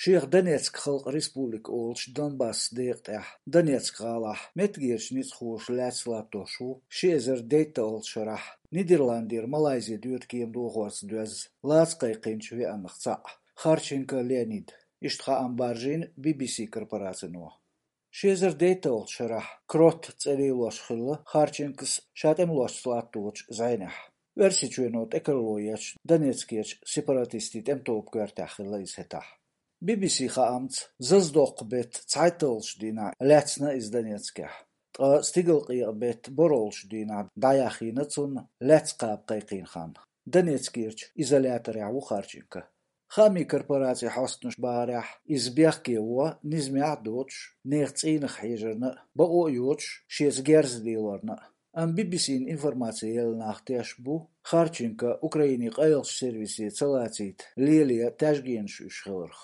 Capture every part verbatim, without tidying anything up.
Шех Донецк халкъ республика олуш Донбасс декъа тӀехь, Донецк гӀалахь, меттигерчу ницкъахоша лаьцна латтош ву ши эзар дейтталгӀачу шарахь Нидерландера Малайзи доьду кема дохорца доьзна лаца кхайкхийначу веаннах цхьаъ, Харченко Леонид. Иштта хаам баржийна Би-Би-Си корпорацино. Ши эзар дейтталгӀачу шарахь Крот цӀе лелош хилла Харченкос ша тӀемалошца латточу зӀенехь. Оьрсийчоьно тӀекарало ечу Донецкерчу сепаратистийн тӀеман тоба коьртехь хилла иза хӀетахь. Би-Би-Си хаамца, заздоккху беттан цхьайтталгӀачу дийнахь лаьцна иза Донецкехь. Ткъа стигалкъекъа беттан борхӀалгӀачу дийнахь дӀаяхйина цунна лаьцна кхаба кхайкхийна хан. Донецкерчу изоляторехь ву Харченко. Хаамийн корпорацин хьостанаша бахарехь, иза бехке во, низамехь а доцуш, нехан цӀийнах хьежарна а, бакъо а йоцуш, шеца герз лелорна а. Амма Би-Би-Сина информаци елла нах тешна бу Харченко Украинин къайлахчу сервисе ца лацийта леле таьжгенаш уьш хиларх.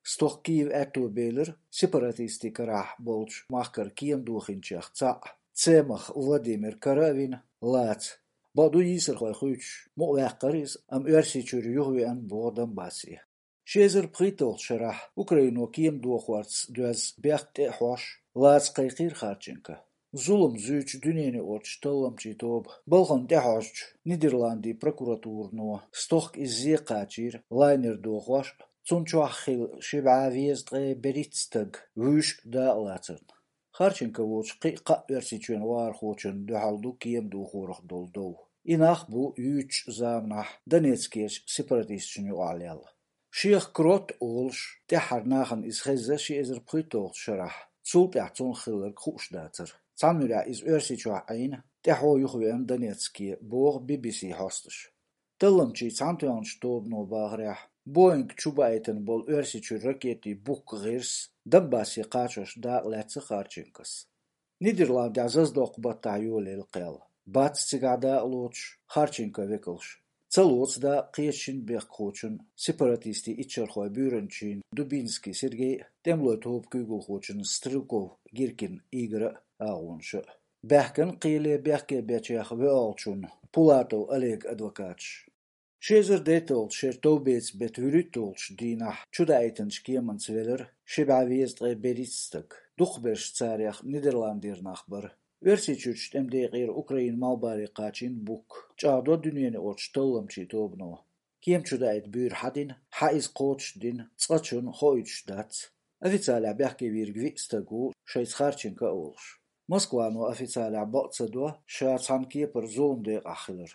Стохка Киев аьтто белира сепаратистийн карахь болчу махкара кема дохийначех цхьаъ, Цемах Владимир кара а вина, лаца. Бакъду, йийсархой хуьйцуш, мукъаваьккхира иза, амма Оьрсийчуьра юхавеана боху Донбассе. Ши эзар пхийтталгӀачу шарахь Украино кема дохорца доьзна бехк тӀе а хьош, лаца кхайкхийра Харченко. Зулам зуьйчу дуьненаюкъарчу талламчийн тоба балхана тӀехьожучу Нидерландийн прокуратурано стохка иза зе кхачийра лайнер дохош а, цунна чохь хилла ши бӀе везткъе берхӀитта стаг вуьйш а дакъалацарна. Харченко воцуш кхин а кхаа Оьрсийчоьнан вахархочунна дуьхьал ду кема дохорах долу дов. И нах бу юьйцучу заманахь Донецкерчу сепаратисташна юкъахь лелла. Шех Крот олуш, тӀаьххьара нахана иза хезна ши эзар пхийтталгӀачу шарахь, цул тӀаьхьа цунах хилларг хууш дацара. Цхьана муьрехь иза Оьрсийчохь Ӏийна, тӀаьхьо юхавеана Донецке, боху Би-Би-Си хьостанаша. Талламчийн цхьаьнатоьхначу тобано бахарехь, Боинг чубаийтина болу Оьрсийчуьра ракетийн букка гӀирс Донбассе кхачош дакъа лаьцна Харченкос. Нидерландехь заздоккху баттахь йолаелла кхел. Бац цигахь дакъа лоцуш Харченко векалш. Ца лоцу дакъа кхечу шина бехкахочун, сепаратистийн иччархойн буьйранчин Дубинский Сергей а, тӀемалойн тоба куьйгалхочун Стрелков Гиркин Игора а агӀонаш а. Баьхкина кхеле бехке бечех воьалгӀачунна Пулатов Олега адвокаташ. Ши эзар дейтталгӀачу шеран товбеца беттан вуьрхӀитталгӀачу дийнахь чудаийтинчу кеманца велира ши бӀе везткъе берхӀитта стаг. Дукхахберш царех Нидерландера нах бара. Оьрсийчуьрчу тӀеман декъера Украинан малхбале кхачийна букка, чӀагӀдо дуьненаюкъарчу талламчийн тобано. Кема чудаийта буьйр хьан дина, хьан иза кхочушдина, цкъачунна хоуьйтуш дац. Официалехь бехке вийриг виъ стаг ву, шайца Харченко а волуш. Москвано официалехь бакъ ца до ша цхьана кепара зуламан декъахь хилар.